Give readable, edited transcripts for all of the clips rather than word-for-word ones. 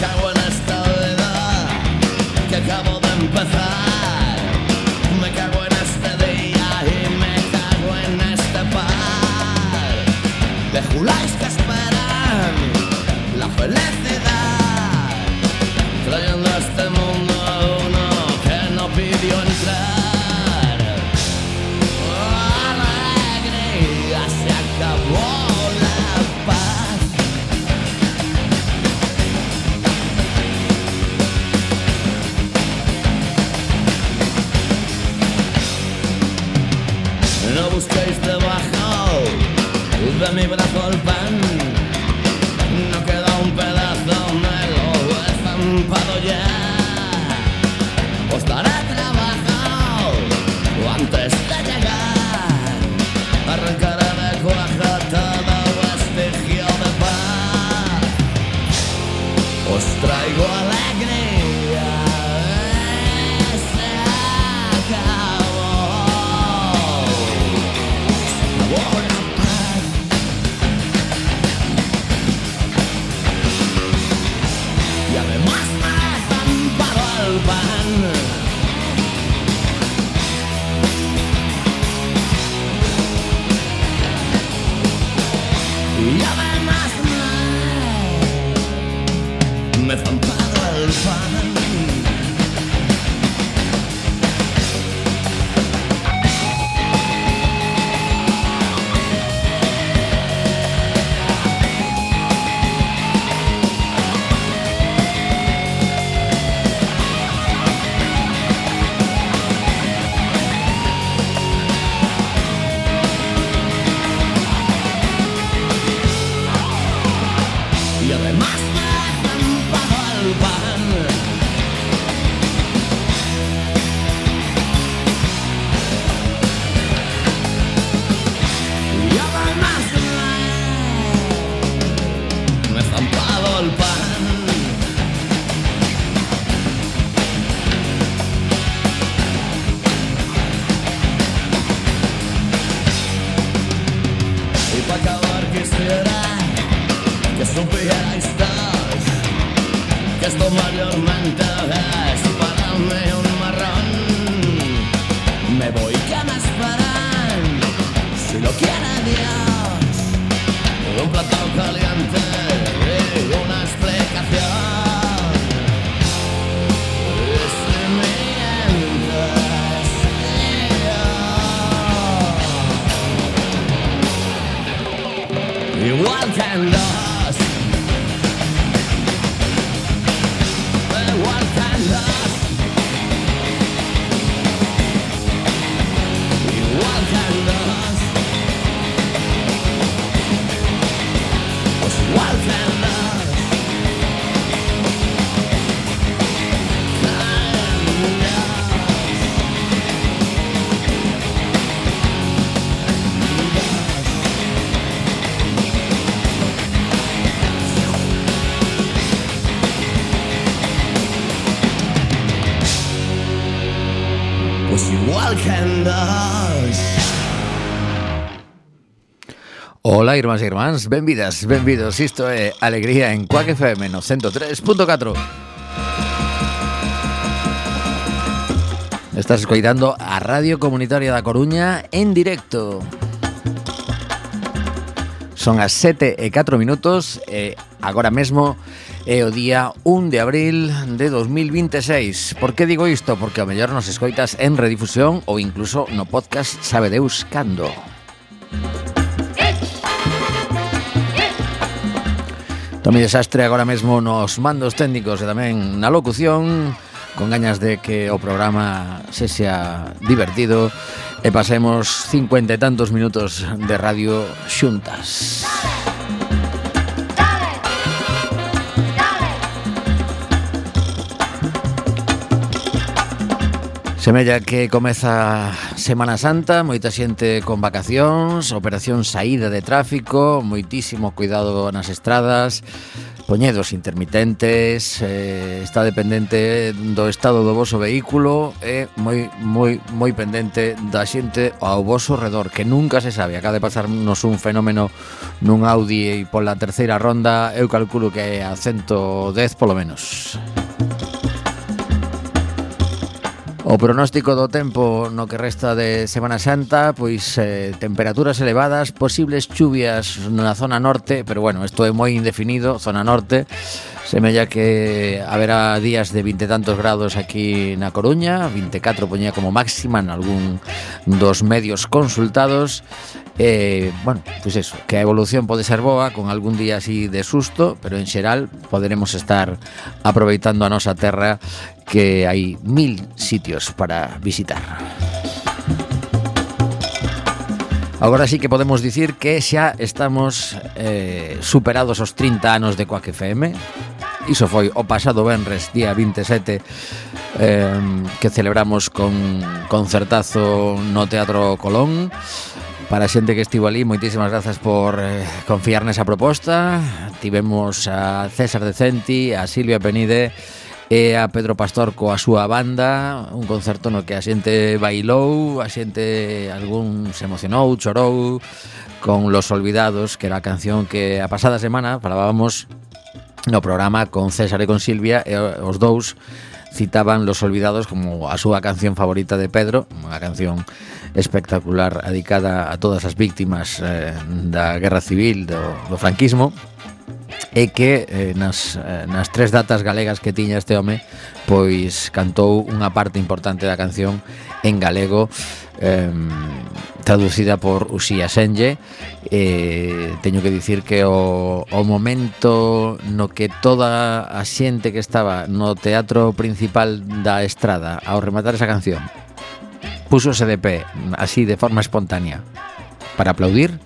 cago en esta vida que acabo de empezar. Me cago en este día y me cago en este par de juláis que esperan la felicidad, trayendo a este mundo a uno que no pidió entrar. Alegría, se acabó la paz. No busquéis debajo de mi brazo el pan, no queda un pedazo, me lo he estampado ya. Os daré trabajo antes de llegar, arrancaré de cuaja todo vestigio de paz. Os traigo alegría, se acabó la paz. Y además me he estampado el pan. Y además me he estampado el pan. Y además me he estampado el pan. Y además me he estampado el pan. Y para acabar quisiera que supierais todos que esto mayormente es para mí un marrón. Me voy, que me esperan, si lo quiere Dios, un plato caliente y una explicación. Y si mientes, igual que en los igual que en los igual que en los pues igual que en los pues igual que en dos. Ola, irmáns e irmáns, benvidas, benvidos. Isto é Alegría en Quack FM no 103.4. Estás escoitando a Radio Comunitaria da Coruña en directo. Son as 7:04 e agora mesmo é o día 1 de abril de 2026. Por que digo isto? Porque ao mellor nos escoitas en redifusión ou incluso no podcast sabe Deus cando. Tomi desastre agora mesmo nos mandos técnicos e tamén na locución, con gañas de que o programa sexa divertido e pasemos 50 e tantos minutos de radio xuntas. Semella que comeza Semana Santa, moita xente con vacacións, operación saída de tráfico, moitísimo cuidado nas estradas, Poñedos intermitentes, está dependente do estado do voso vehículo e moi pendente da xente ao voso redor, que nunca se sabe. Acaba de pasarnos un fenómeno nun Audi e pola terceira ronda eu calculo que é a 110 polo menos. O pronóstico do tempo no que resta de Semana Santa, pois temperaturas elevadas, posibles chuvias na zona norte, pero bueno, isto é moi indefinido, zona norte. Semella que haberá días de 20 e tantos grados aquí na Coruña, 24 poñía como máxima en algún dos medios consultados. Bueno, pois eso, que a evolución pode ser boa, con algún día así de susto, pero en xeral poderemos estar aproveitando a nosa terra, que hai 1000 sitios para visitar. Agora sí que podemos dicir que xa estamos superados os 30 anos de Quack FM. Iso foi o pasado venres, día 27, que celebramos con concertazo no Teatro Colón. Para a xente que estivo ali, moitísimas grazas por confiar nesa proposta. Tivemos a César Decenti, a Silvia Penide e a Pedro Pastor coa súa banda, un concerto no que a xente bailou, a xente algún se emocionou, chorou con Los Olvidados, que era a canción que a pasada semana falábamos no programa con César e con Silvia, e os dous citaban Los Olvidados como a súa canción favorita de Pedro, unha canción espectacular dedicada a todas as víctimas da Guerra Civil, do franquismo, e que nas tres datas galegas que tiña este home, pois cantou unha parte importante da canción en galego, traducida por Uxía Senlle. Teño que dicir que o momento no que toda a xente que estaba no teatro principal da Estrada ao rematar esa canción púsose de pé, así de forma espontánea, para aplaudir,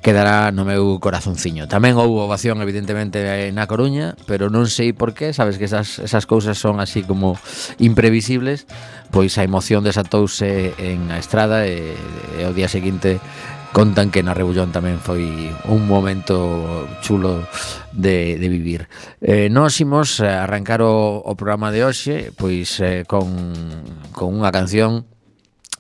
quedará no meu corazonciño. Tamén houve ovación, evidentemente, na Coruña, pero non sei por qué, sabes que esas cousas son así como imprevisibles, pois a emoción desatouse en a Estrada e ao día seguinte contan que na Rebullón tamén foi un momento chulo de vivir. Nós imos arrancar o programa de hoxe pois con unha canción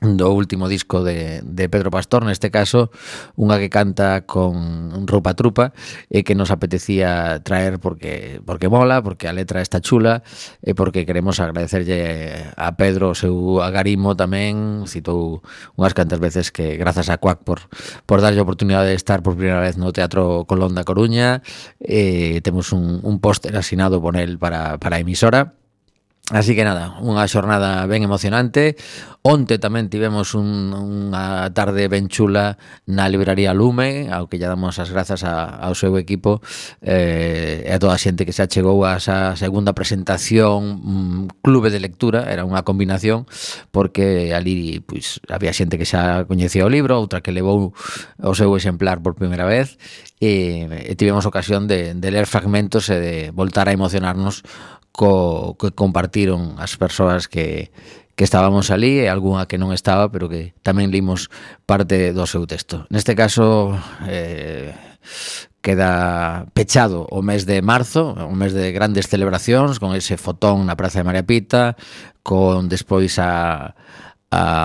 do último disco de Pedro Pastor, neste caso unha que canta con Rupa Trupa e que nos apetecía traer porque mola, porque a letra está chula e porque queremos agradecerlle a Pedro o seu agarimo. Tamén citou unhas cantas veces que grazas a Quack por darlle a oportunidade de estar por primeira vez no Teatro Colón da Coruña. Temos un póster asinado por el para a emisora. Así que nada, unha xornada ben emocionante. Onte tamén tivemos unha tarde ben chula na librería Lume, ao que lle damos as grazas ao seu equipo e a toda a xente que se achegou a esa segunda presentación clube de lectura. Era unha combinación porque ali pois había xente que xa coñecía o libro, outra que levou o seu exemplar por primeira vez e tivemos ocasión de ler fragmentos e de voltar a emocionarnos que compartiron as persoas que estábamos ali e algunha que non estaba, pero que tamén limos parte do seu texto. Neste caso queda pechado o mes de marzo, o mes de grandes celebracións, con ese fotón na Praza de María Pita, con despois a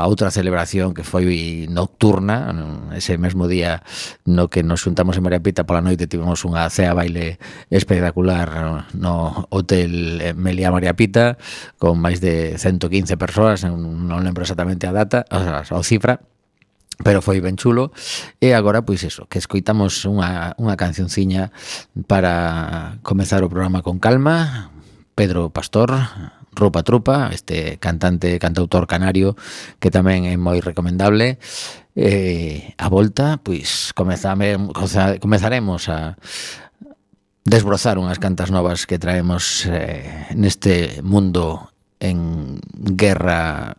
outra celebración que foi nocturna, ese mesmo día no que nos xuntamos en María Pita pola noite tivemos unha cea baile espectacular no Hotel Meliá María Pita con máis de 115 persoas, non lembro exactamente a data, a cifra, pero foi ben chulo. E agora, pois eso, que escoitamos unha cancionciña para comezar o programa con calma. Pedro Pastor, Rupa Trupa, este cantautor canario que tamén é moi recomendable. A volta, pois comezaremos a desbrozar unhas cantas novas que traemos neste mundo en guerra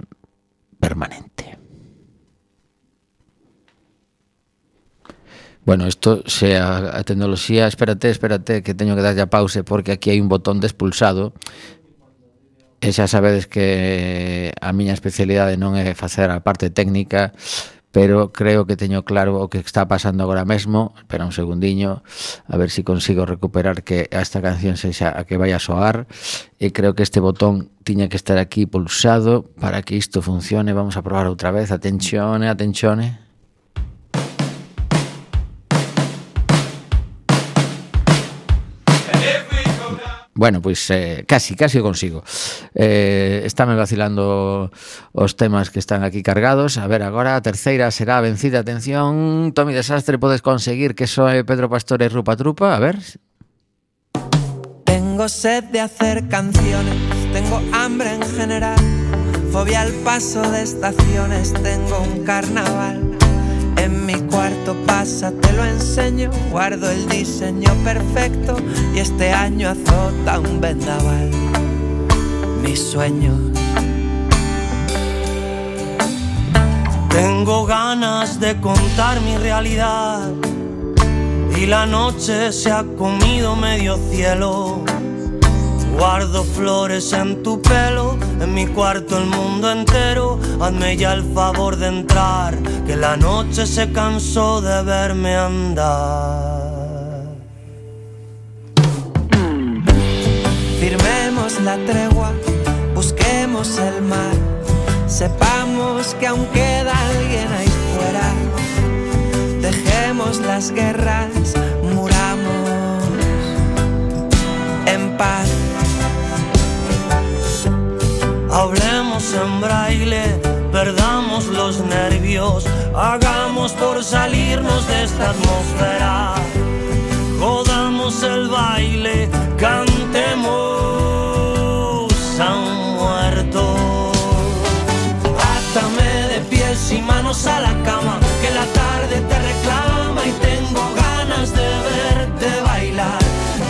permanente. Bueno, isto se a tecnoloxía, espérate, que teño que darlle a pause porque aquí hai un botón de expulsado. E xa sabedes que a miña especialidade non é facer a parte técnica, pero creo que teño claro o que está pasando agora mesmo. Espera un segundiño, a ver se consigo recuperar que esta canción sexa a que vai a soar, e creo que este botón tiña que estar aquí pulsado para que isto funcione. Vamos a probar outra vez. Atención, atención. Bueno, pois casi o consigo. Estáme vacilando os temas que están aquí cargados. A ver, agora a terceira será a vencida. Atención, Tomi Desastre, podes conseguir que soe Pedro Pastor e Rupa Trupa. A ver. Tengo sed de hacer canciones, tengo hambre en general, fobia al paso de estaciones, tengo un carnaval. En mi cuarto pasa, te lo enseño, guardo el diseño perfecto y este año azota un vendaval. Mis sueños. Tengo ganas de contar mi realidad y la noche se ha comido medio cielo. Guardo flores en tu pelo, en mi cuarto el mundo entero. Hazme ya el favor de entrar, que la noche se cansó de verme andar. Firmemos la tregua, busquemos el mar, sepamos que aún queda alguien ahí fuera. Dejemos las guerras, muramos en paz. Hablemos en braille, perdamos los nervios, hagamos por salirnos de esta atmósfera. Jodamos el baile, cantemos a un muerto. Átame de pies y manos a la cama, que la tarde te reclama y tengo ganas de verte bailar.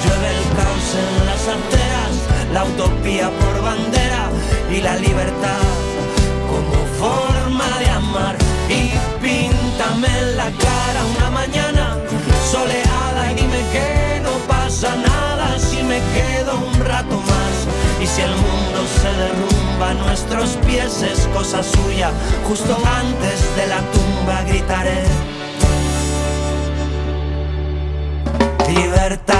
Llueve el caos en las arteras, la utopía por bandera y la libertad como forma de amar. Y píntame en la cara una mañana soleada y dime que no pasa nada si me quedo un rato más. Y si el mundo se derrumba a nuestros pies es cosa suya, justo antes de la tumba gritaré libertad.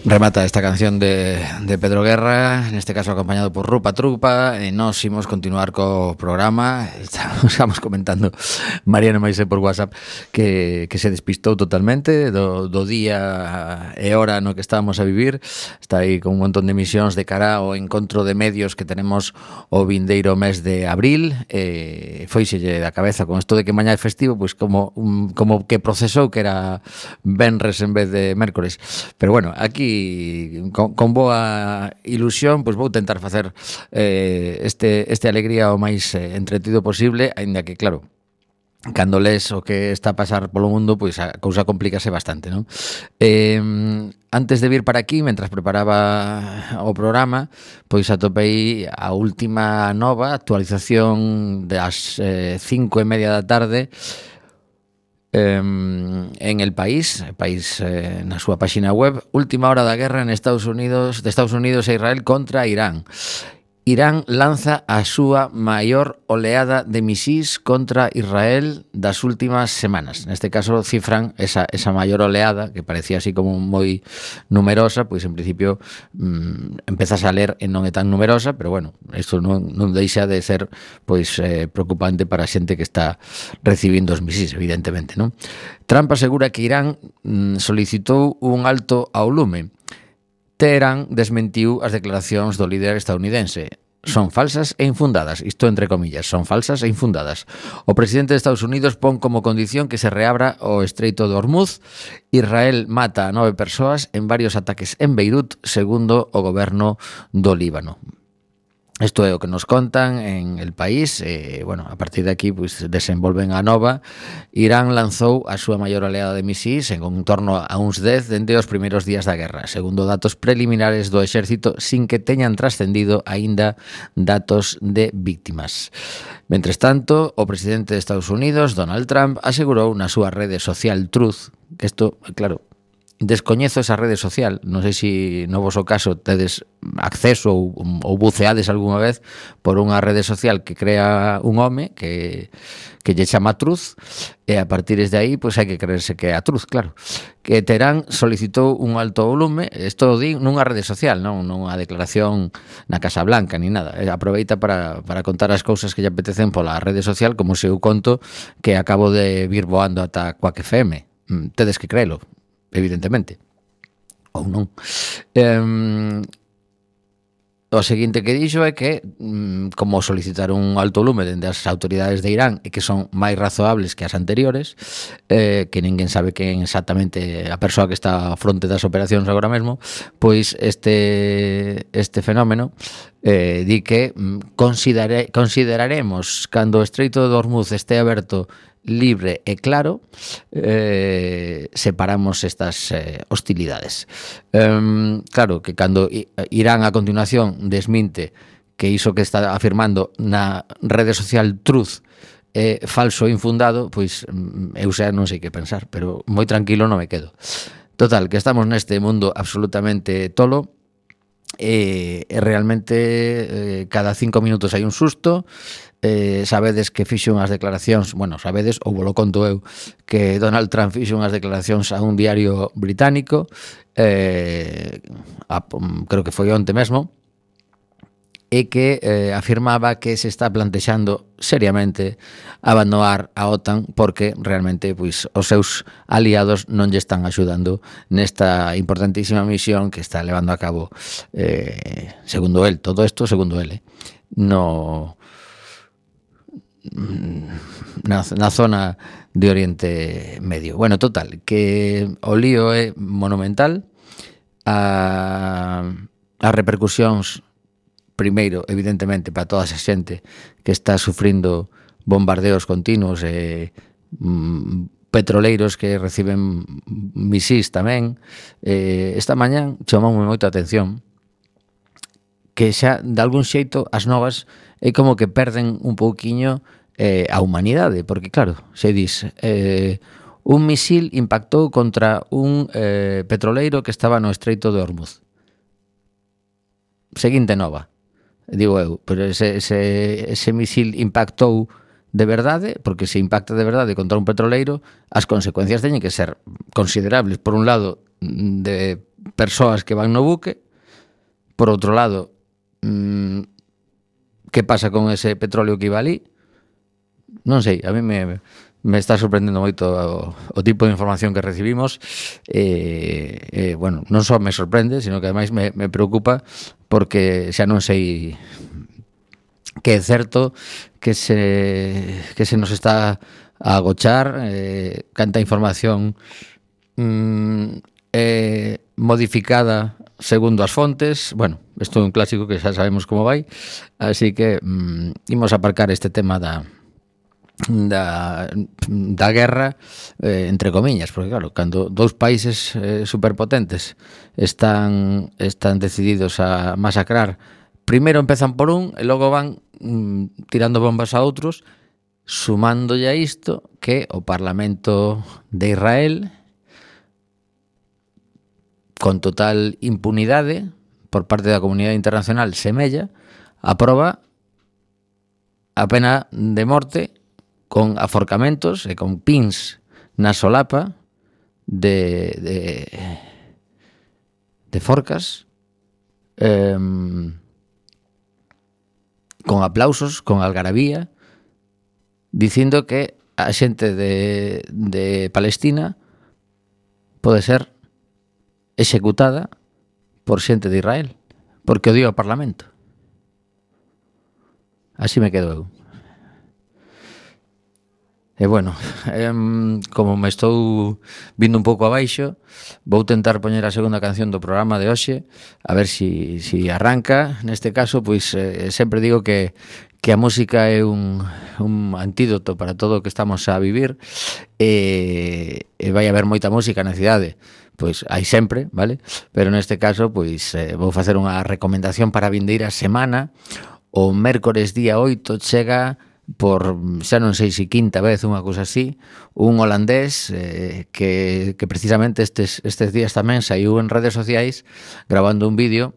Remata esta canción de Pedro Guerra, en este caso acompañado por Rupa Trupa, e nós imos continuar co programa. Estamos comentando Mariano Maisé por WhatsApp que se despistou totalmente do día e hora no que estábamos a vivir. Está aí con un montón de misións de cara ao encontro de medios que tenemos o vindeiro mes de abril. Foiselle da cabeza con isto de que mañá é festivo, pois como que procesou que era venres en vez de mércores. Pero bueno, aquí con boa ilusión pois vou tentar facer este alegría o máis entretido posible, aínda que claro, cando les o que está a pasar polo mundo, pois a cousa complícase bastante, non? Antes de vir para aquí, mentras preparaba o programa, pois atopei a última nova actualización das 5:30 da tarde en El País na súa páxina web. Última hora da guerra de Estados Unidos e Israel contra Irán. Irán lanza a súa maior oleada de misís contra Israel das últimas semanas. Neste caso cifran esa maior oleada, que parecía así como moi numerosa, pois en principio empezas a ler e non é tan numerosa, pero bueno, isto non deixa de ser pois preocupante para a xente que está recibindo os misís, evidentemente, non? Trump asegura que Irán solicitou un alto ao lume. Teherán desmentiu as declaracións do líder estadounidense. Son falsas e infundadas, isto entre comillas, son falsas e infundadas. O presidente de Estados Unidos pon como condición que se reabra o Estreito de Hormuz. Israel mata a 9 persoas en varios ataques en Beirut, segundo o goberno do Líbano. Isto é o que nos contan en El País. Bueno, a partir de aquí pues, desenvolven a nova. Irán lanzou a súa maior oleada de misís en torno a uns 10 dende os primeiros días da guerra, segundo datos preliminares do exército, sin que teñan trascendido aínda datos de víctimas. Mentres tanto, o presidente de Estados Unidos, Donald Trump, asegurou na súa rede social Truth, que isto, claro, descoñezo esa rede social, non sei se no voso caso tedes acceso ou buceades algunha vez por unha rede social que crea un home que lle chama Truth, e a partir de aí pois hai que creerse que é a Truth, claro. Que Teherán solicitou un alto volume, isto o di nunha rede social, non nunha declaración na Casa Blanca ni nada. Aproveita para contar as cousas que lle apetecen pola rede social, como se eu conto que acabo de vir voando ata Quack FM. Tedes que creelo, evidentemente, ou non. O seguinte que dixo é que como solicitar un alto volume dende as autoridades de Irán e que son máis razoables que as anteriores, que ninguén sabe quen exactamente a persoa que está a fronte das operacións agora mesmo, pois este fenómeno di que consideraremos cando o Estreito de Hormuz este aberto, libre e claro, separamos estas hostilidades. Claro que cando Irán a continuación desminte que iso que está afirmando na rede social Truth é falso e infundado, pois eu xa non sei que pensar, pero moi tranquilo non me quedo. Total, que estamos neste mundo absolutamente tolo, e realmente cada 5 minutos hai un susto. Sabedes que fixo unhas declaracións, bueno, sabedes, ou volo conto eu, que Donald Trump fixo unhas declaracións a un diario británico, creo que foi onte mesmo, e que afirmaba que se está plantexando seriamente abandonar a OTAN porque realmente pois, os seus aliados non lle están axudando nesta importantísima misión que está levando a cabo, segundo el, todo isto segundo el, na zona de Oriente Medio. Bueno, total, que o lío é monumental. As repercusións, primeiro, evidentemente, para toda esa xente que está sufrindo bombardeos continuos e petroleiros que reciben misís tamén. Esta mañán chamoume moita atención que xa, de algún xeito, as novas é como que perden un pouquiño a humanidade, porque claro, se dis un misil impactou contra un petroleiro que estaba no Estreito de Hormuz. Seguinte nova, digo eu, pero ese misil impactou de verdade, porque se impacta de verdade contra un petroleiro, as consecuencias teñen que ser considerables. Por un lado, de persoas que van no buque, por outro lado, que pasa con ese petróleo que iba ali? Non sei, a mí me está sorprendendo moito o tipo de información que recibimos. Bueno, non só me sorprende, sino que ademais me preocupa, porque xa non sei que é certo que se nos está a agochar, canta información modificada segundo as fontes. Bueno, isto é un clásico que xa sabemos como vai, así que imos aparcar este tema da guerra, entre comillas, porque claro, cando dous países superpotentes están decididos a masacrar, primeiro empezan por un e logo van tirando bombas a outros, sumándolle a isto que o Parlamento de Israel, con total impunidade por parte da comunidade internacional, semella, aproba a pena de morte con aforcamentos e con pins na solapa de forcas, con aplausos, con algarabía, dicindo que a xente de Palestina pode ser executada por xente de Israel, porque odiou o Parlamento. Así me quedo eu. E bueno, como me estou vindo un pouco abaixo, vou tentar poñer a segunda canción do programa de hoxe, a ver si arranca. Neste caso, pois sempre digo que a música é un antídoto para todo o que estamos a vivir, e vai haber moita música na cidade, pois hai sempre, vale? Pero neste caso, pois vou facer unha recomendación para a vindeira semana. O mércores día 8 chega, por xa non sei se quinta vez, unha cousa así, un holandés que precisamente estes días tamén saiu en redes sociais grabando un vídeo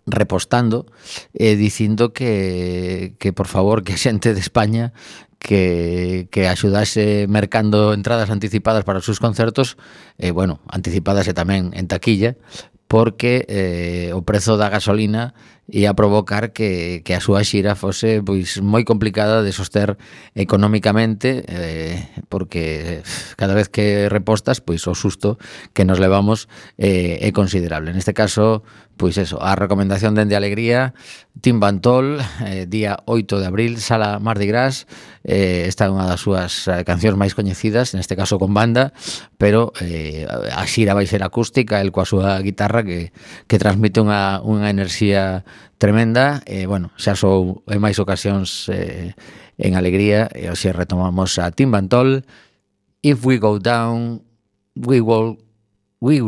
repostando dicindo que por favor que a xente de España que axudase mercando entradas anticipadas para os seus concertos, bueno, anticipadas e tamén en taquilla, porque o prezo da gasolina ia provocar que a súa xira fose pois moi complicada de soster económicamente, porque cada vez que repostas, pois o susto que nos levamos é considerable. Neste caso, pois eso, a recomendación dende Alegría, Tim Bantol, día 8 de abril, Sala Mardi Gras. Esta é unha das súas cancións máis coñecidas, neste caso con banda, pero a xira vai ser acústica, el coa súa guitarra que transmite unha enerxía tremenda. Bueno, xa sou en máis ocasións en Alegría, e hoxe retomamos a Tim Bantol. If we go down, we will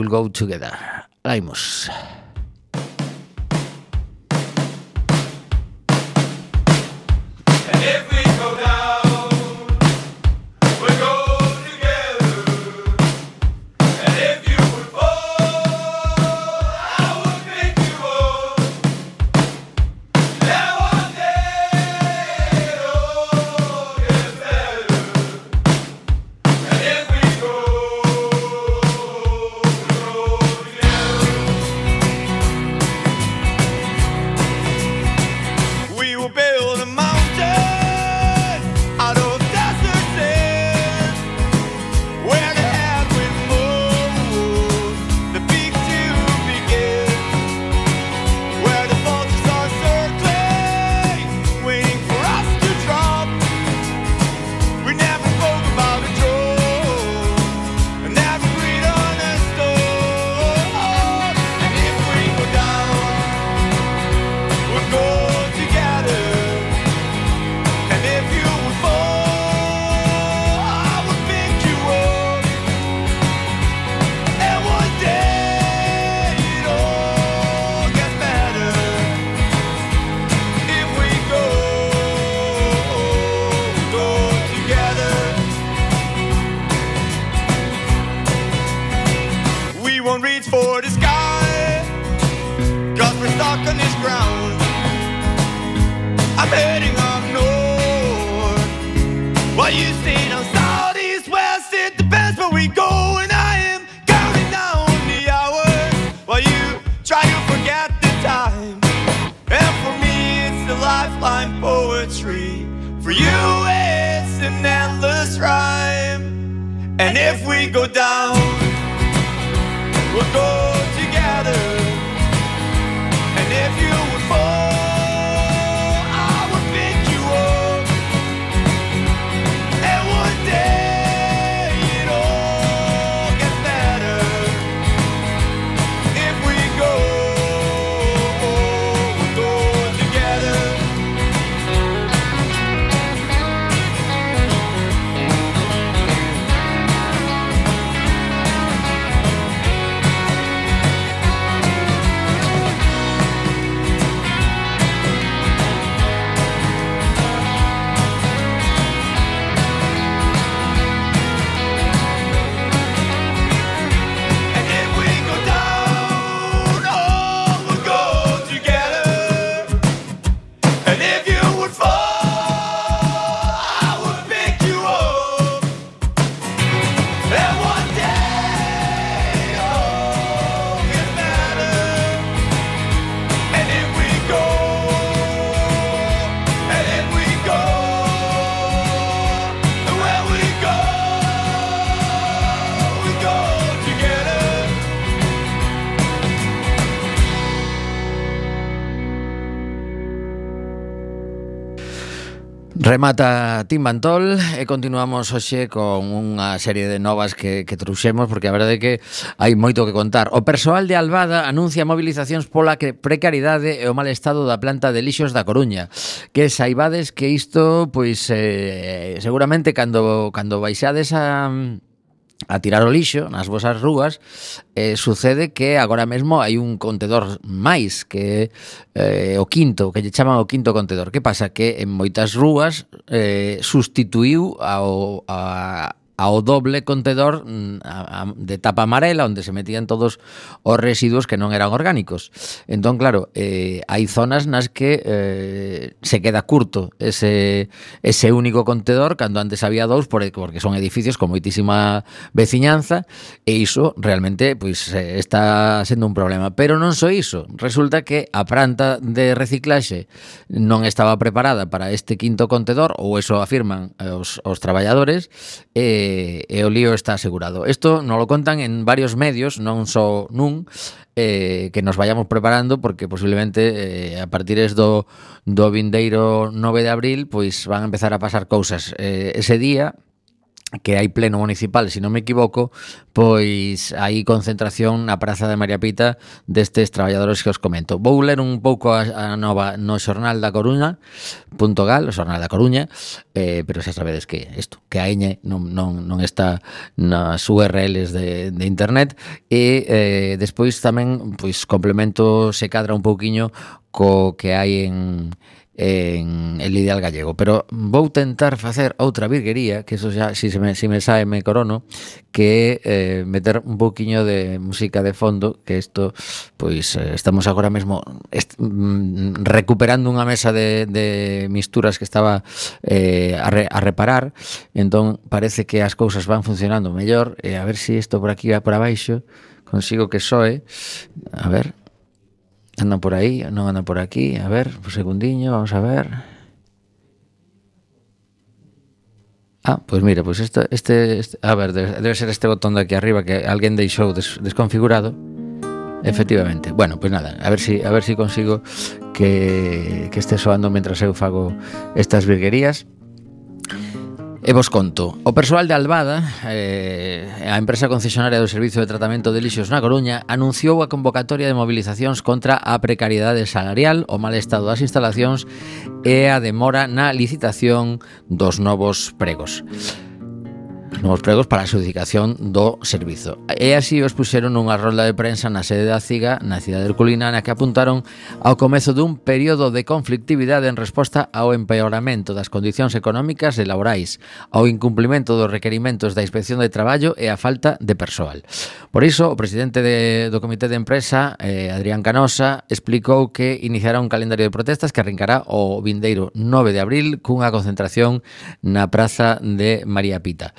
go together. Laimos. Remata Tim Bantol e continuamos hoxe con unha serie de novas que trouxemos, porque a verdade é que hai moito que contar. O persoal de Albada anuncia mobilizacións pola precariedade e o mal estado da planta de lixos da Coruña, que saibades que isto, pois, seguramente cando baixades a tirar o lixo nas vosas rúas, sucede que agora mesmo hai un contedor máis, que o quinto, que lle chaman o quinto contedor. Que pasa? Que en moitas rúas sustituiu ao doble contedor de tapa amarela, onde se metían todos os residuos que non eran orgánicos. Entón, claro, hai zonas nas que se queda curto ese único contedor, cando antes había dous, porque son edificios con moitísima veciñanza, e iso realmente pois está sendo un problema. Pero non só iso, resulta que a planta de reciclaxe non estaba preparada para este quinto contedor, ou eso afirman os traballadores, e o lío está asegurado. Isto nos lo contan en varios medios, non só nun, que nos vayamos preparando, porque posiblemente a partir do vindeiro 9 de abril pois van a empezar a pasar cousas. Ese día que hai pleno municipal, se non me equivoco, pois hai concentración na Praza de María Pita destes traballadores que os comento. Vou ler un pouco a nova no Xornal da Coruña.gal, o Xornal da Coruña, pero xa sabedes que isto, que a Eñe non está nas URLs de internet, e despois tamén pois complemento, se cadra un pouquiño co que hai en El Ideal Gallego, pero vou tentar facer outra virguería, que eso xa, si me sae me corono, que meter un pouquiño de música de fondo, que isto, pois estamos agora mesmo recuperando unha mesa de misturas que estaba a reparar, entón parece que as cousas van funcionando mellor, e a ver se isto por aquí va por abaixo consigo que soe, a ver. Andan por aí, non andan por aquí. A ver, un segundiño, vamos a ver. Pois mira, pois este a ver, debe ser este botón de aquí arriba que alguén deixou desconfigurado. Efectivamente. Bueno, pois nada, a ver si consigo que este soando mentras eu fago estas virguerías. E vos conto, o persoal de Albada, a empresa concesionaria do Servicio de Tratamento de Lixos na Coruña, anunciou a convocatoria de movilizacións contra a precariedade salarial, o mal estado das instalacións e a demora na licitación dos novos pregos para a adxudicación do servizo. E así os puxeron nunha rolda de prensa na sede da CIGA, na cidade herculina, na que apuntaron ao comezo dun período de conflictividade en resposta ao empeoramento das condicións económicas e laborais, ao incumplimento dos requerimentos da Inspección de Traballo e a falta de persoal. Por iso, o presidente do Comité de Empresa, Adrián Canosa, explicou que iniciará un calendario de protestas que arrincará o vindeiro 9 de abril cunha concentración na Praza de María Pita.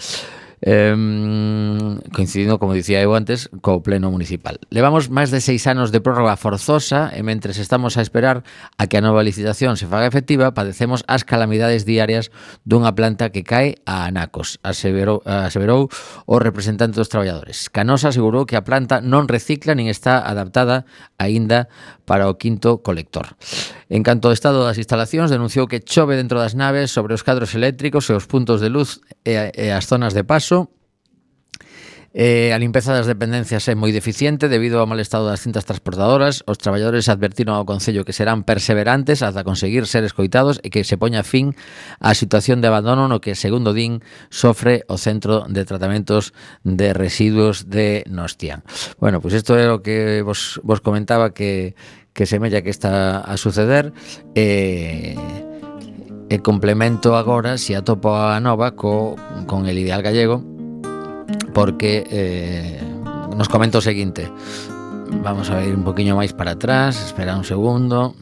Coincidindo, como dicía eu antes, co pleno municipal. Levamos máis de 6 anos de prórroga forzosa e mentres estamos a esperar a que a nova licitación se faga efectiva, padecemos as calamidades diarias dunha planta que cae a anacos, aseverou o representante dos traballadores. Canosa asegurou que a planta non recicla nin está adaptada aínda para o quinto colector. En canto ao estado das instalacións, denunciou que chove dentro das naves sobre os cadros eléctricos e os puntos de luz e as zonas de paso. A limpeza das dependencias é moi deficiente debido ao mal estado das cintas transportadoras. Os traballadores advertiron ao Concello que serán perseverantes ata conseguir ser escoitados e que se poña fin á situación de abandono no que, segundo din, sofre o Centro de Tratamentos de Residuos de Nostián. Bueno, pois isto é o que vos comentaba que semella que está a suceder, e complemento agora, se atopo a nova con El Ideal Gallego, porque nos comenta o seguinte. Vamos a ir un poquinho máis para atrás, espera un segundo.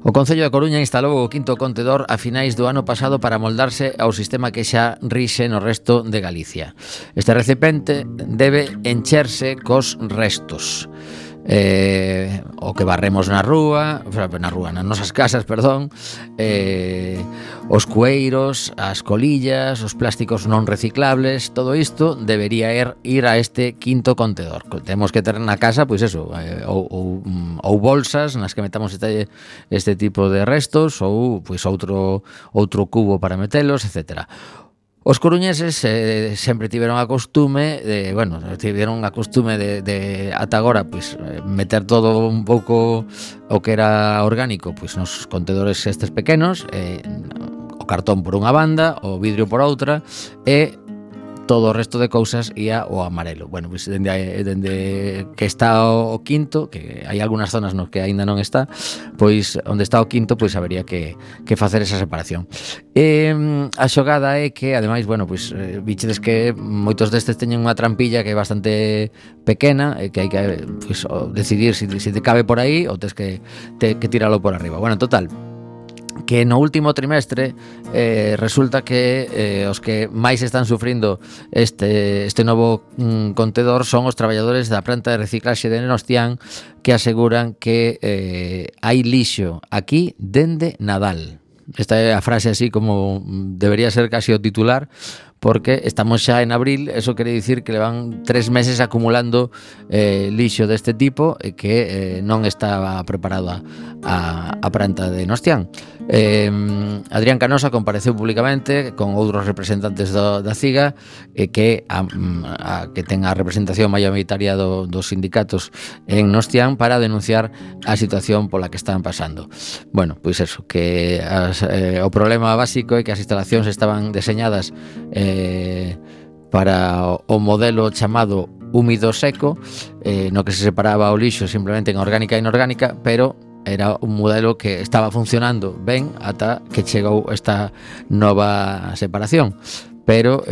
O Concello da Coruña instalou o quinto contedor a finais do ano pasado para moldarse ao sistema que xa rixe no resto de Galicia. Este recipiente debe encherse cos restos. o que barremos nas nosas casas, perdón, os cueiros, as colillas, os plásticos non reciclables, todo isto debería ir a este quinto contedor. Temos que ter na casa, pois eso, ou bolsas nas que metamos este tipo de restos, ou pois outro cubo para metelos, etcétera. Os coruñeses sempre tiveron a costume de ata agora pois meter todo un pouco o que era orgánico pois nos contedores estes pequenos, o cartón por unha banda, o vidrio por outra, e todo o resto de cousas ia ao amarelo. Bueno, pois dende que está o quinto, que hai algunhas zonas nos que aínda non está, pois onde está o quinto, pois habería que facer esa separación. A xogada é que, ademais, bueno, pois vichedes que moitos destes teñen unha trampilla que é bastante pequena, e que hai que pois, decidir se te cabe por aí ou tes que tiralo por arriba. Bueno, total, que no último trimestre resulta que os que máis están sufrindo este novo contedor son os traballadores da planta de reciclaxe de Nostián, que aseguran que hai lixo aquí dende Nadal. Esta é a frase así como debería ser casi o titular, porque estamos xa en abril, eso quere dicir que levan 3 meses acumulando lixo deste tipo e que non estaba preparada a planta de Nostián. Adrián Canosa compareceu públicamente con outros representantes da CIGA, que ten a representación maioritaria dos sindicatos en Nostián, para denunciar a situación pola que están pasando. Bueno, pois eso, que o problema básico é que as instalacións estaban deseñadas para o modelo chamado húmido seco, no que se separaba o lixo simplemente en orgánica e inorgánica, pero era un modelo que estaba funcionando ben ata que chegou esta nova separación. Pero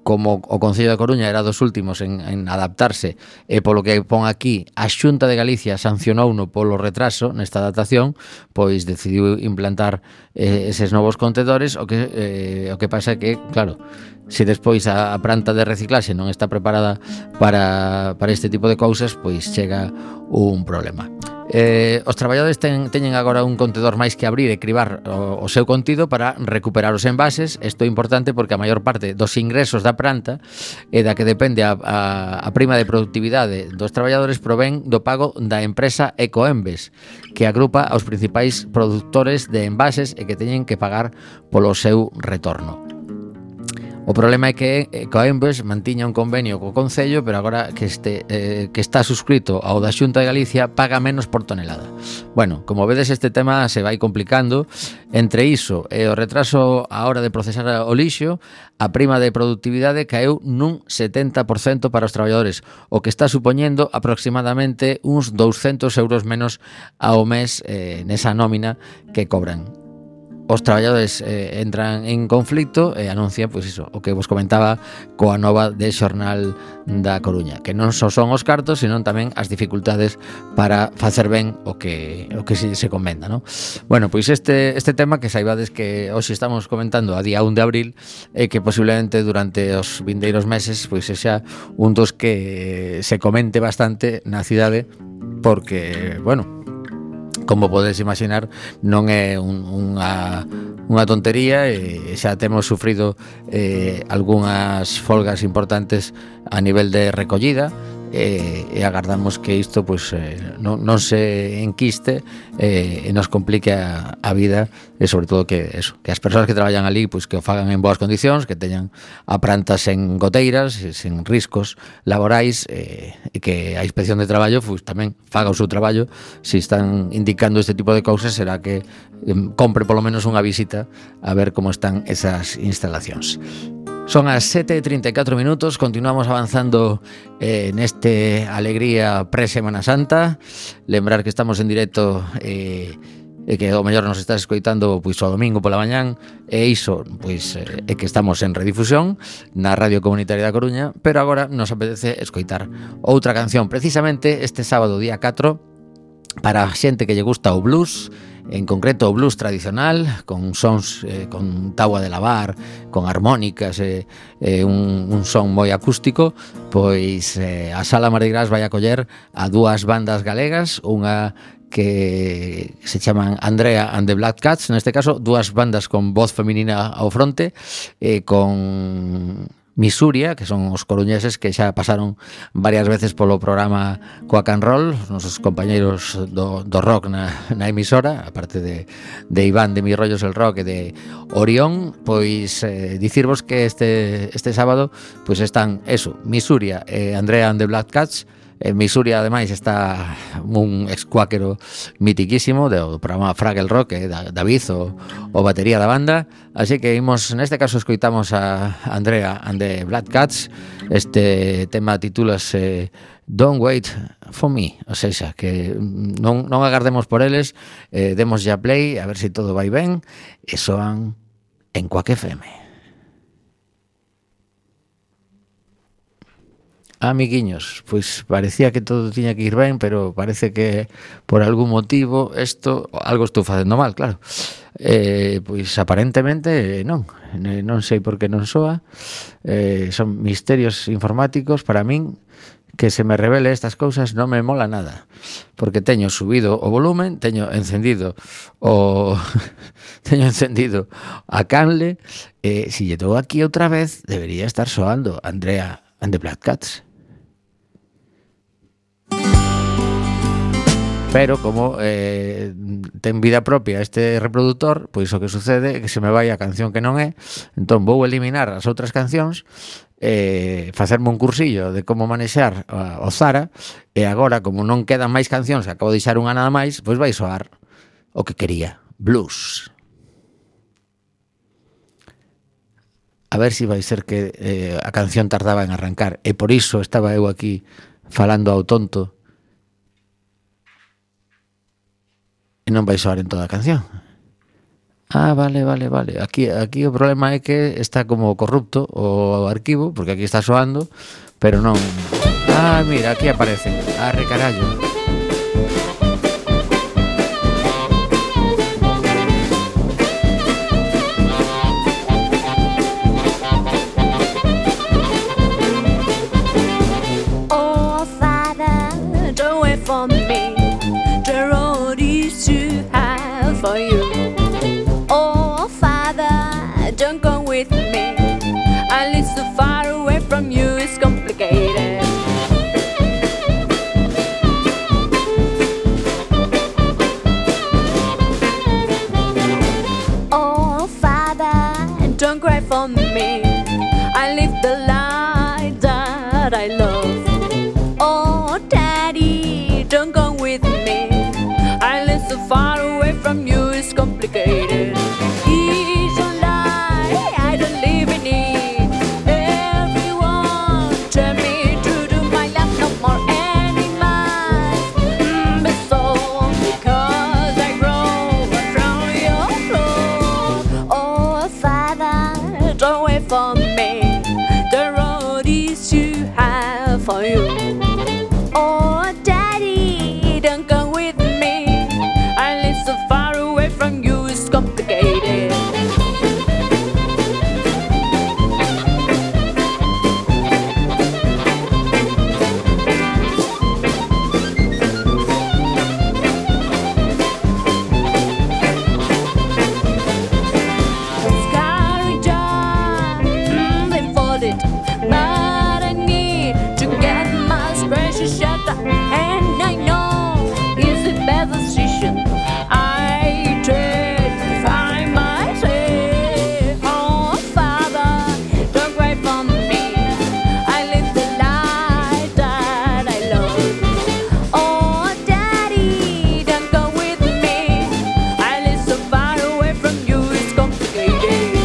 como o Concello da Coruña era dos últimos en adaptarse, e polo que pon aquí, a Xunta de Galicia sancionouno polo retraso nesta adaptación, pois decidiu implantar eses novos contedores. O que pasa é que, claro, se despois a planta de reciclaxe non está preparada para este tipo de cousas, pois chega un problema. Os traballadores teñen agora un contedor máis que abrir e cribar o seu contido para recuperar os envases. Isto é importante porque a maior parte dos ingresos da planta e da que depende a prima de productividade dos traballadores provén do pago da empresa Ecoembes, que agrupa aos principais produtores de envases e que teñen que pagar polo seu retorno. O problema é que Ecoembes mantiña un convenio co Concello, pero agora que está suscrito ao da Xunta de Galicia, paga menos por tonelada. Bueno, como vedes, este tema se vai complicando. Entre iso e o retraso á hora de procesar o lixo, a prima de productividade caeu nun 70% para os traballadores, o que está supoñendo aproximadamente uns 200 euros menos ao mes nesa nómina que cobran. Os traballadores entran en conflito e anuncian, pois iso, o que vos comentaba coa nova de Xornal da Coruña, que non só son os cartos, senón tamén as dificultades para facer ben o que se comenda, non? Bueno, pois este tema que saibades que hoxe estamos comentando a día 1 de abril, e que posiblemente durante os vindeiros meses pois sexa un dos que se comente bastante na cidade, porque, bueno, como podes imaginar, non é unha tontería, e xa temos sufrido algunhas folgas importantes a nivel de recollida, e agardamos que isto pois non se enquiste e nos complique a vida, e sobre todo que as persoas que traballan ali pois que o fagan en boas condicións, que teñan a planta sen goteiras, sen riscos laborais, e que a Inspección de Traballo pois tamén faga o seu traballo. Se están indicando este tipo de cousas, será que compre polo menos unha visita a ver como están esas instalacións. Son as 7:34 minutos, continuamos avanzando neste Alegría pre-Semana Santa. Lembrar que estamos en directo e que o mellor nos estás escoitando pois o domingo pola mañán, e iso pois é que estamos en redifusión na Radio Comunitaria da Coruña, pero agora nos apetece escoitar outra canción, precisamente este sábado día 4, para a xente que lle gusta o blues en concreto o blues tradicional, con sons con táboa de lavar, con armónicas, un son moi acústico, pois a Sala Mardi Gras vai acoller a dúas bandas galegas, unha que se chaman Andrea and the Black Cats, neste caso dúas bandas con voz feminina ao fronte, con Misuria, que son os coruñeses que xa pasaron varias veces polo programa Quack and Roll, os nosos compañeiros do rock na emisora, aparte de Iván de Mi Rollos el Rock e de Orión. Pois dicirvos que este sábado pois están eso, Misuria e Andrea and the Black Cats. En Misuria, ademais, está un ex-cuáquero mitiquísimo do programa Fraggle Rock, David, o batería da banda. Así que imos, neste caso, escoitamos a Andrea and the Black Cats. Este tema titúlase Don't Wait for Me, ou seja, que non agardemos por eles, demos ya play, a ver se todo vai ben, e soan en Quack FM. Amiguiños, pois parecía que todo tiña que ir ben, pero parece que por algún motivo algo estou facendo mal, claro. Pois aparentemente non sei por que non soa. Son misterios informáticos para min. Que se me revele estas cousas non me mola nada, porque teño subido o volumen, teño encendido a canle, se lle dou aquí outra vez debería estar soando Andrea and the Black Cats. Pero como ten vida propia este reproductor, pois o que sucede é que se me vai a canción que non é, entón vou eliminar as outras cancións, facerme un cursillo de como manexar o Zara, e agora, como non quedan máis cancións, acabo de deixar unha nada máis, pois vai soar o que quería, blues. A ver se vai ser que a canción tardaba en arrancar, e por iso estaba eu aquí falando ao tonto, e non vai soar en toda a canción. Vale. Aquí o problema é que está como corrupto o arquivo, porque aquí está soando, pero non. Mira, aquí aparece. Arre carallo. Oh, Father, don't wait for me. The road is too high for you. Oh, Father, don't go with me. I live so far away from you, it's complicated. Oh, Father, don't cry for me. I live the life that I love. Oh, Daddy, don't go with me. I live so far away from you, it's complicated. It's a lie, I don't live in it. Everyone tell me to do my life, no more animals. But so, because I grow from your floor. Oh, Father, don't wait for me. The road is too high for you. Oh, Daddy, don't come with me. I live so far away from you, it's complicated. Scarlet job, blindfolded, but I need to get my spreadsheet shut up, and I know it's the best decision. I tried to find myself. Oh, Father, don't cry for me. I live the life that I love. Oh, Daddy, don't go with me. I live so far away from you, it's complicated.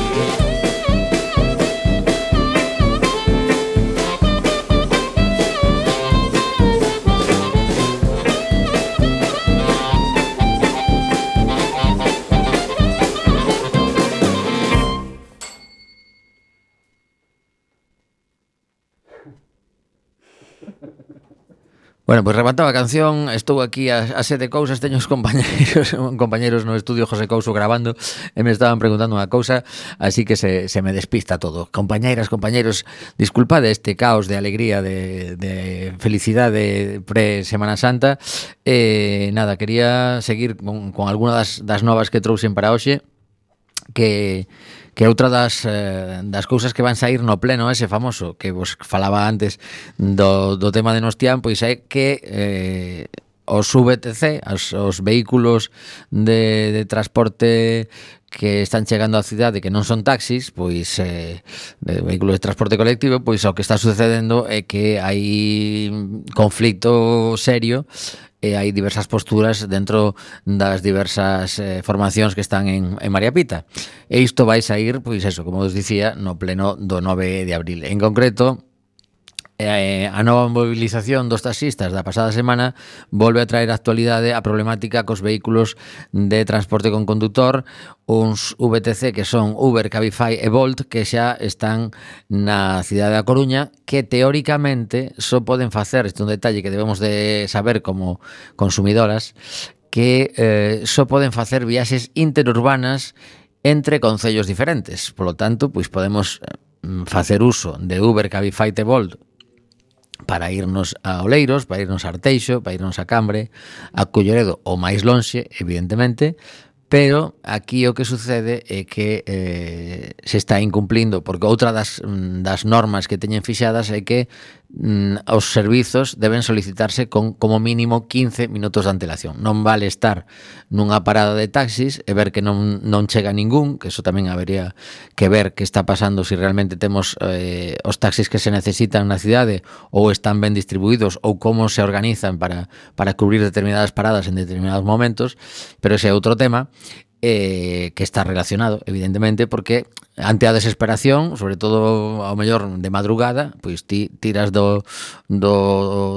Bueno, pois remataba a canción. Estou aquí a sete cousas. Teño os compañeros no estudio José Couso grabando e me estaban preguntando unha cousa, así que se me despista todo. Compañeiras, compañeros, disculpade este caos de alegría, de felicidade pre-Semana Santa. Nada, quería seguir con alguna das novas que trouxen para hoxe, que outra das cousas que van sair no pleno ese famoso que vos falaba antes do tema de Nostián, pois é que os VTC, os vehículos de transporte que están chegando á cidade que non son taxis, pois vehículos de transporte colectivo, pois o que está sucedendo é que hai conflicto serio e hai diversas posturas dentro das diversas formacións que están en María Pita. E isto vai sair, pois eso, como os dicía, no pleno do 9 de abril. En concreto, a nova movilización dos taxistas da pasada semana volve a traer a actualidade a problemática cos vehículos de transporte con condutor, uns VTC que son Uber, Cabify e Bolt, que xa están na cidade da Coruña, que teóricamente só poden facer, este é un detalle que debemos de saber como consumidoras, que só poden facer viaxes interurbanas entre concellos diferentes. Por lo tanto, pois podemos facer uso de Uber, Cabify e Bolt para irnos a Oleiros, para irnos a Arteixo, para irnos a Cambre, a Culleredo ou máis lonxe, evidentemente, pero aquí o que sucede é que se está incumplindo, porque outra das normas que teñen fixadas é que os servizos deben solicitarse con como mínimo 15 minutos de antelación. Non vale estar nunha parada de taxis e ver que non chega ningún, que eso tamén habería que ver que está pasando, se realmente temos os taxis que se necesitan na cidade ou están ben distribuídos ou como se organizan para cubrir determinadas paradas en determinados momentos, pero ese é outro tema que está relacionado, evidentemente, porque ante a desesperación, sobre todo ao mellor de madrugada, pois ti tiras do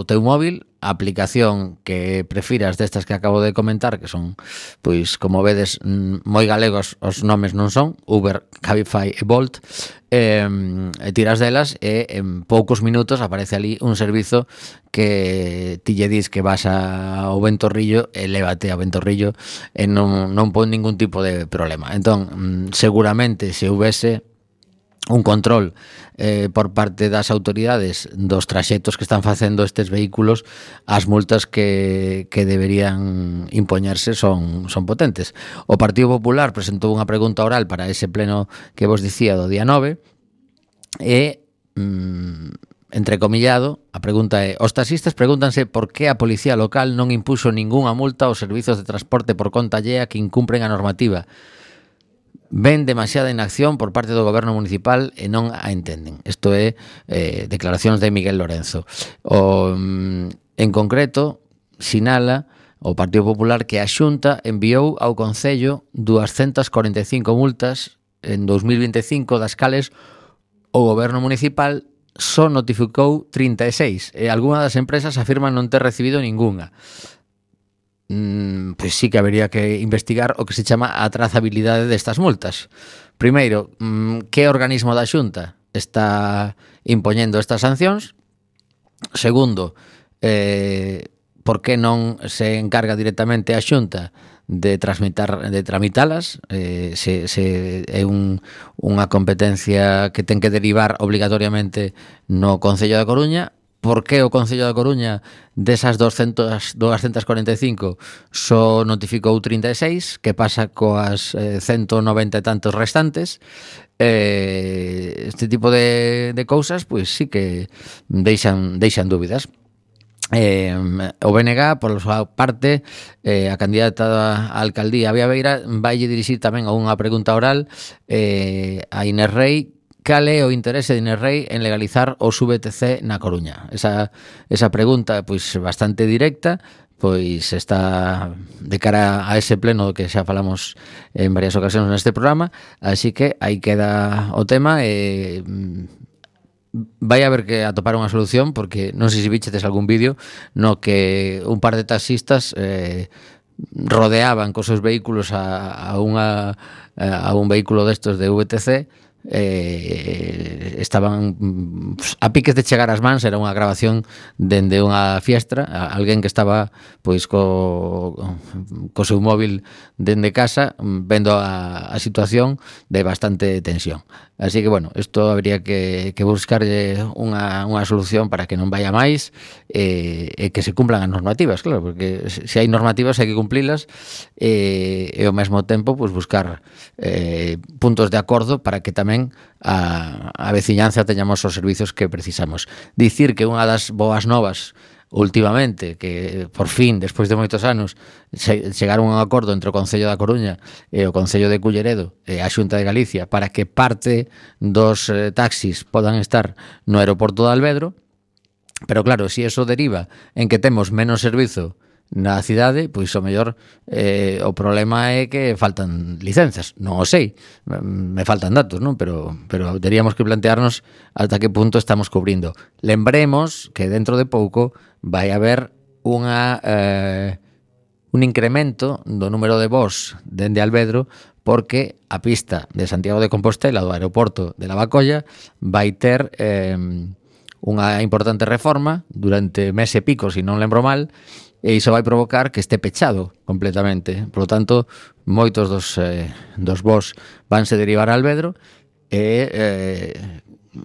teu móvil a aplicación que prefiras destas que acabo de comentar, que son, pois, como vedes, moi galegos os nomes non son, Uber, Cabify e Bolt, e tiras delas e en poucos minutos aparece ali un servizo que ti lle dis que vas ao Ventorrillo e lévate ao Ventorrillo e non pon ningún tipo de problema. Entón, seguramente se houvese un control por parte das autoridades dos traxectos que están facendo estes vehículos, as multas que deberían impoñerse son potentes. O Partido Popular presentou unha pregunta oral para ese pleno que vos dicía do día 9 e entrecomillado, a pregunta é: os taxistas pregúntanse por que a policía local non impuxo ningunha multa aos servizos de transporte por conta allea que incumpren a normativa. Ven demasiada inacción por parte do goberno municipal e non a entenden. Isto é declaracións de Miguel Lorenzo. En concreto, sinala o Partido Popular que a Xunta enviou ao Concello 245 multas en 2025, das cales o goberno municipal só notificou 36 e algunha das empresas afirman non ter recibido ningunha. Pois sí que habería que investigar o que se chama a trazabilidade destas multas. Primeiro, que organismo da Xunta está impoñendo estas sancións? Segundo, por que non se encarga directamente a Xunta de tramitalas, se é unha competencia que ten que derivar obligatoriamente no Concello da Coruña. Por que o Concello da Coruña desas 245 só notificou 36? Que pasa coas 190 e tantos restantes? Este tipo de cousas, pois sí que deixan dúbidas. O BNG, por súa parte, a candidata á alcaldía Vía Beira vaille dirixir tamén a unha pregunta oral a Inés Rei. Cal é o interese de Inés Rei en legalizar os VTC na Coruña? Esa pregunta, pois, bastante directa, pois está de cara a ese pleno que xa falamos en varias ocasións neste programa, así que aí queda o tema e vai haber que atopar unha solución, porque non sei se vichedes algún vídeo no que un par de taxistas rodeaban cos seus vehículos a un vehículo destos de VTC estaban a piques de chegar ás mans. Era unha grabación dende unha fiestra, alguén que estaba pois co seu móvil dende casa vendo a situación de bastante tensión. Así que, bueno, isto habría que buscarlle unha solución para que non vaya máis e que se cumplan as normativas, claro, porque se hai normativas hai que cumplilas e ao mesmo tempo pois buscar puntos de acordo para que tamén a veciñanza teñamos os servizos que precisamos. Dicir que unha das boas novas últimamente, que por fin, despois de moitos anos, chegaron a un acordo entre o Concello da Coruña e o Concello de Culleredo e a Xunta de Galicia para que parte dos taxis podan estar no aeroporto de Alvedro. Pero claro, se eso deriva en que temos menos servizo na cidade, pois o mellor o problema é que faltan licenzas. Non o sei, me faltan datos, non? Pero teríamos que plantearnos ata que punto estamos cubrindo. Lembremos que dentro de pouco vai haber un incremento do número de voos dende Alvedro, porque a pista de Santiago de Compostela do aeroporto de Lavacolla vai ter unha importante reforma durante mes e pico, se non lembro mal, e iso vai provocar que este pechado completamente. Por lo tanto, moitos dos voos vanse derivar a Alvedro e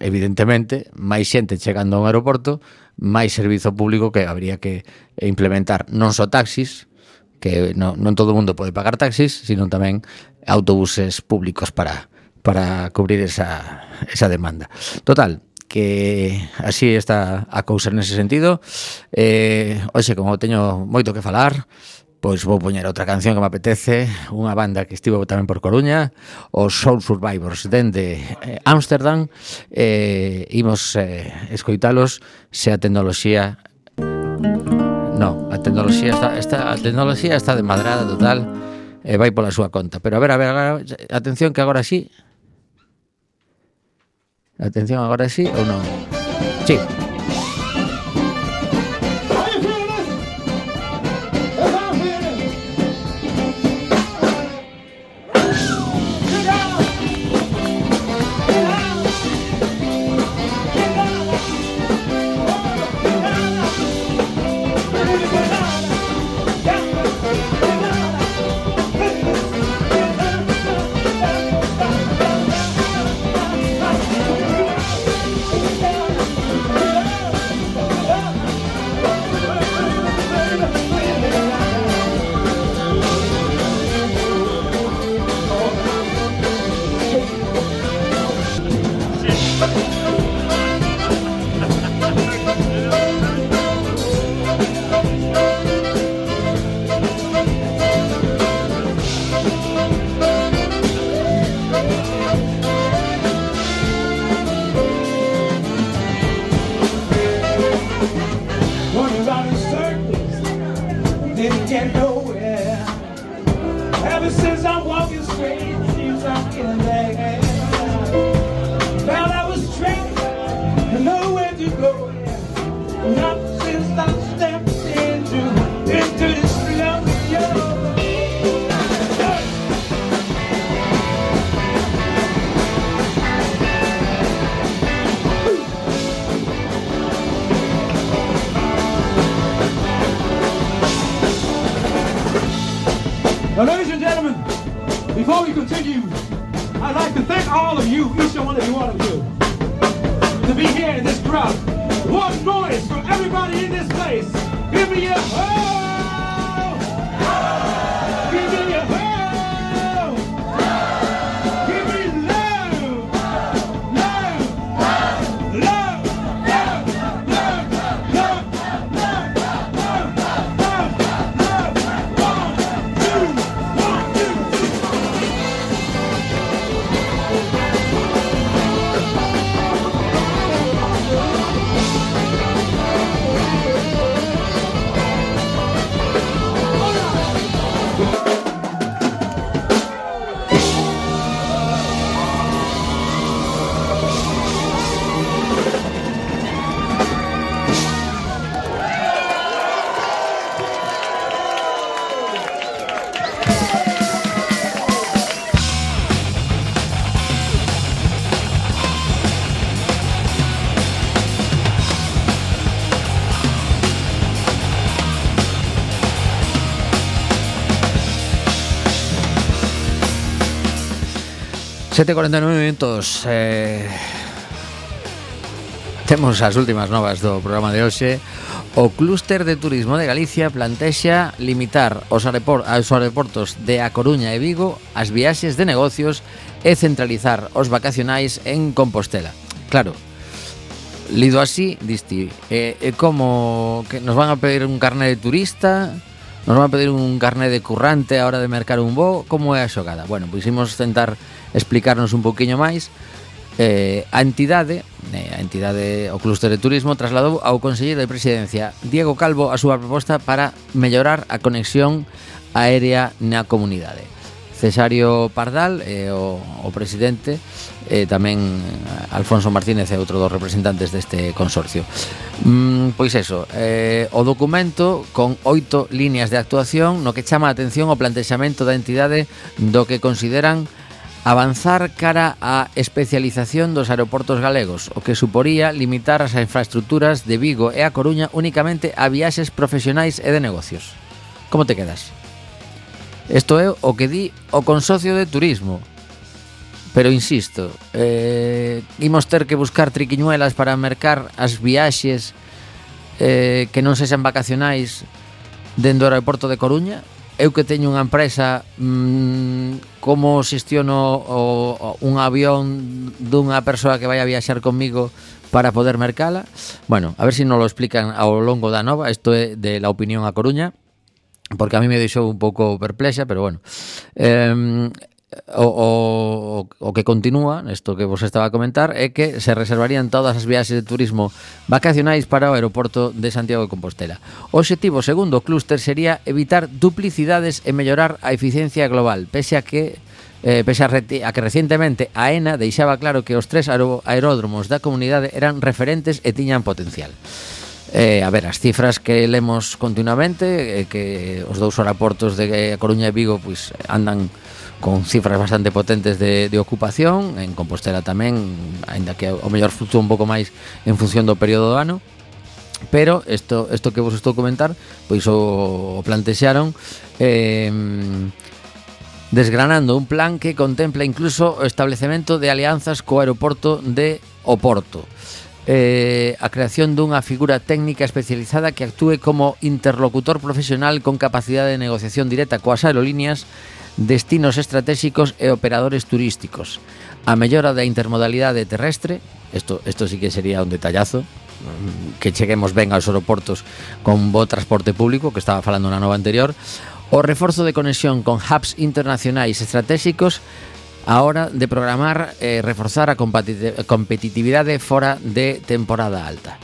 evidentemente máis xente chegando a un aeroporto, máis servizo público que habría que implementar, non só taxis, que non todo o mundo pode pagar taxis, sino tamén autobuses públicos para cubrir esa demanda. Total, que así está a cousa nese sentido. Hoxe, como teño moito que falar, pois vou poñer outra canción que me apetece, unha banda que estivo tamén por Coruña, os Soul Survivors dende Ámsterdam. Imos escoitalos se a tecnoloxía... No, a tecnoloxía está desmadrada total e vai pola súa conta. Pero a ver, atención que agora sí. Atención, agora sí ou non? Sí. Now, ladies and gentlemen, before we continue, I'd like to thank all of you, each and one of you, to be here in this crowd. One noise for everybody in this place. Give me a ho! Give me a ho! Give me love! Love! Love! Love! Love! Love! Love! Love! 7:49 minutos. Temos as últimas novas do programa de hoxe. O Clúster de Turismo de Galicia plantexa limitar aos aeroportos de A Coruña e Vigo as viaxes de negocios e centralizar os vacacionais en Compostela. Claro, lido así, diste, como que nos van a pedir un carné de turista, nos van a pedir un carné de currante a hora de mercar un voo, como é a xogada? Bueno, pois imos tentar explicarnos un poquinho máis. A entidade, o Clúster de Turismo, trasladou ao Conselleiro de Presidencia Diego Calvo a súa proposta para mellorar a conexión aérea na comunidade. Cesario Pardal, o presidente, tamén Alfonso Martínez é outro dos representantes deste consorcio. Pois eso, o documento con 8 líneas de actuación no que chama a atención o plantexamento da entidade do que consideran avanzar cara á especialización dos aeroportos galegos, o que suporía limitar as infraestructuras de Vigo e A Coruña únicamente a viaxes profesionais e de negocios. Como te quedas? Isto é o que di o Consorcio de Turismo. Pero insisto, imos ter que buscar triquiñuelas para mercar as viaxes que non sexan vacacionais dentro do aeroporto de Coruña. Eu que teño unha empresa, como xestiono un avión dunha persoa que vai a viaxar comigo para poder mercala? Bueno, a ver se nos lo explican ao longo da nova. Isto é de La Opinión a Coruña, porque a mí me deixou un pouco perplexa, pero bueno. O que continúa, isto que vos estaba a comentar, é que se reservarían todas as viaxes de turismo vacacionais para o aeroporto de Santiago de Compostela. O obxectivo, segundo o clúster, sería evitar duplicidades e mellorar a eficiencia global, pese a que recientemente a AENA deixaba claro que os 3 aeródromos da comunidade eran referentes e tiñan potencial. A ver, as cifras que lemos continuamente, que os 2 aeroportos de Coruña e Vigo pois andan con cifras bastante potentes de ocupación. En Compostela tamén, aínda que o mellor fluctúa un pouco máis en función do período do ano. Pero isto que vos estou a comentar, pois o plantexaron desgranando un plan que contempla incluso o establecemento de alianzas co aeroporto de Oporto. A creación dunha figura técnica especializada que actúe como interlocutor profesional con capacidade de negociación directa coas aerolíneas, destinos estratégicos e operadores turísticos. A mellora da intermodalidade terrestre, isto sí que sería un detallazo, que cheguemos ben aos aeroportos con bo transporte público, que estaba falando na nova anterior. O reforzo de conexión con hubs internacionais estratégicos a hora de programar e reforzar a competitividade fora de temporada alta.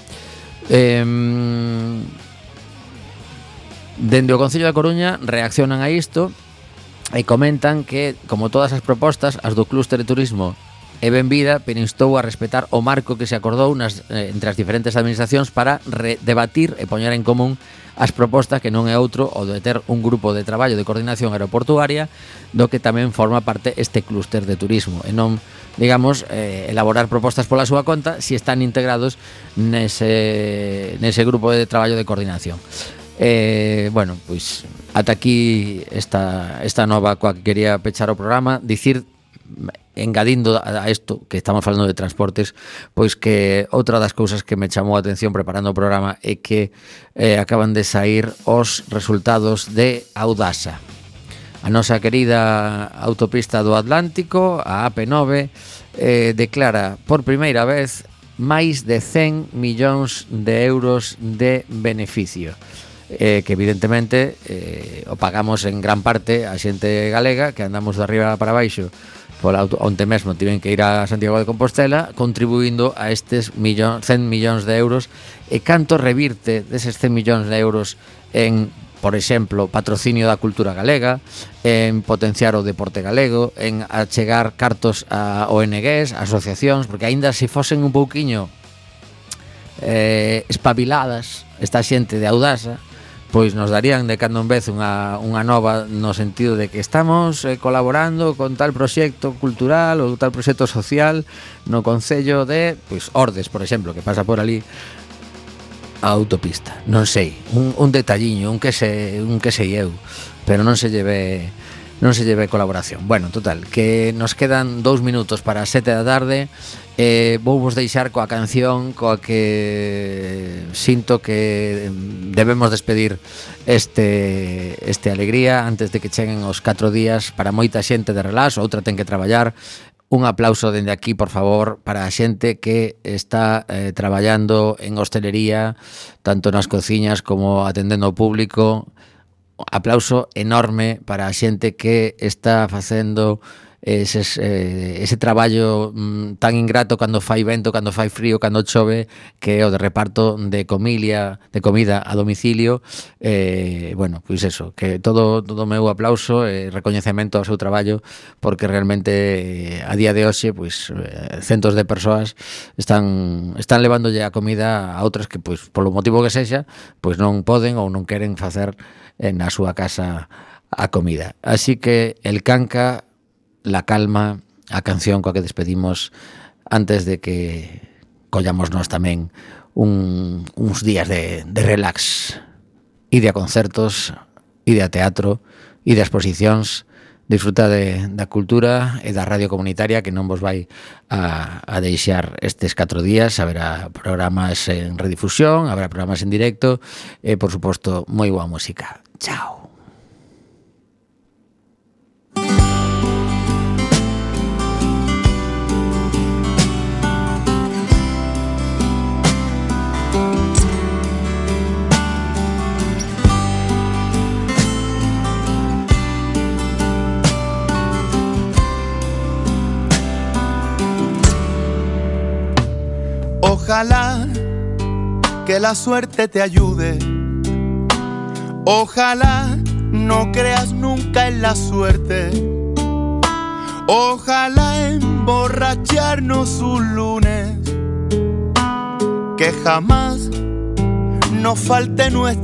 Dende o Concello da Coruña reaccionan a isto e comentan que, como todas as propostas, as do Clúster de Turismo é benvida, pero instou a respetar o marco que se acordou entre as diferentes administracións para debatir e poñer en común as propostas, que non é outro o de ter un grupo de traballo de coordinación aeroportuaria do que tamén forma parte este Clúster de Turismo, e non, digamos, elaborar propostas pola súa conta si están integrados nese grupo de traballo de coordinación. Bueno, pois ata aquí esta nova coa que quería pechar o programa. Dicir, engadindo a isto que estamos falando de transportes, pois que outra das cousas que me chamou a atención preparando o programa é que acaban de sair os resultados de Audasa, a nosa querida autopista do Atlántico, a AP9, declara por primeira vez máis de 100 millóns de euros de beneficio, que evidentemente o pagamos en gran parte a xente galega, que andamos de arriba para baixo onte mesmo tiven que ir a Santiago de Compostela, contribuindo a estes 100 millóns de euros. E canto revirte deses 100 millóns de euros en, por exemplo, patrocinio da cultura galega, en potenciar o deporte galego, en achegar cartos a ONGs, asociacións, porque aínda se fosen un pouquiño espabiladas esta xente de Audasa, pois nos darían de cando en vez unha nova, no sentido de que estamos colaborando con tal proxecto cultural ou tal proxecto social no concello de, pois, Ordes, por exemplo, que pasa por ali a autopista. Non sei, un detalliño, un que sei eu, pero non se lleve non se lleve colaboración. Bueno, total, que nos quedan 2 minutos para as 7 da tarde. Vou vos deixar coa canción coa que sinto que debemos despedir este alegría antes de que cheguen os 4 días para moita xente de relax, outra ten que traballar. Un aplauso dende aquí, por favor, para a xente que está traballando en hostelería, tanto nas cociñas como atendendo ao público. Aplauso enorme para a xente que está facendo ese traballo tan ingrato cando fai vento, cando fai frío, cando chove, que é o de reparto de comida a domicilio. Bueno, pois eso, que todo meu aplauso e recoñecemento ao seu traballo, porque realmente a día de hoxe pois centos de persoas están levándolle a comida a outras que pois polo motivo que sexa, pois non poden ou non queren facer na súa casa a comida. Así que el Canca, La Calma, a canción coa que despedimos antes de que collamos nós tamén uns días de relax, ide a concertos, ide a teatro, ide a exposicións, disfruta da cultura e da radio comunitaria, que non vos vai a deixar estes 4 días. Haberá programas en redifusión, haberá programas en directo e, por suposto, moi boa música. Chao. Ojalá que la suerte te ayude. Ojalá no creas nunca en la suerte. Ojalá emborracharnos un lunes, que jamás nos falte nuestra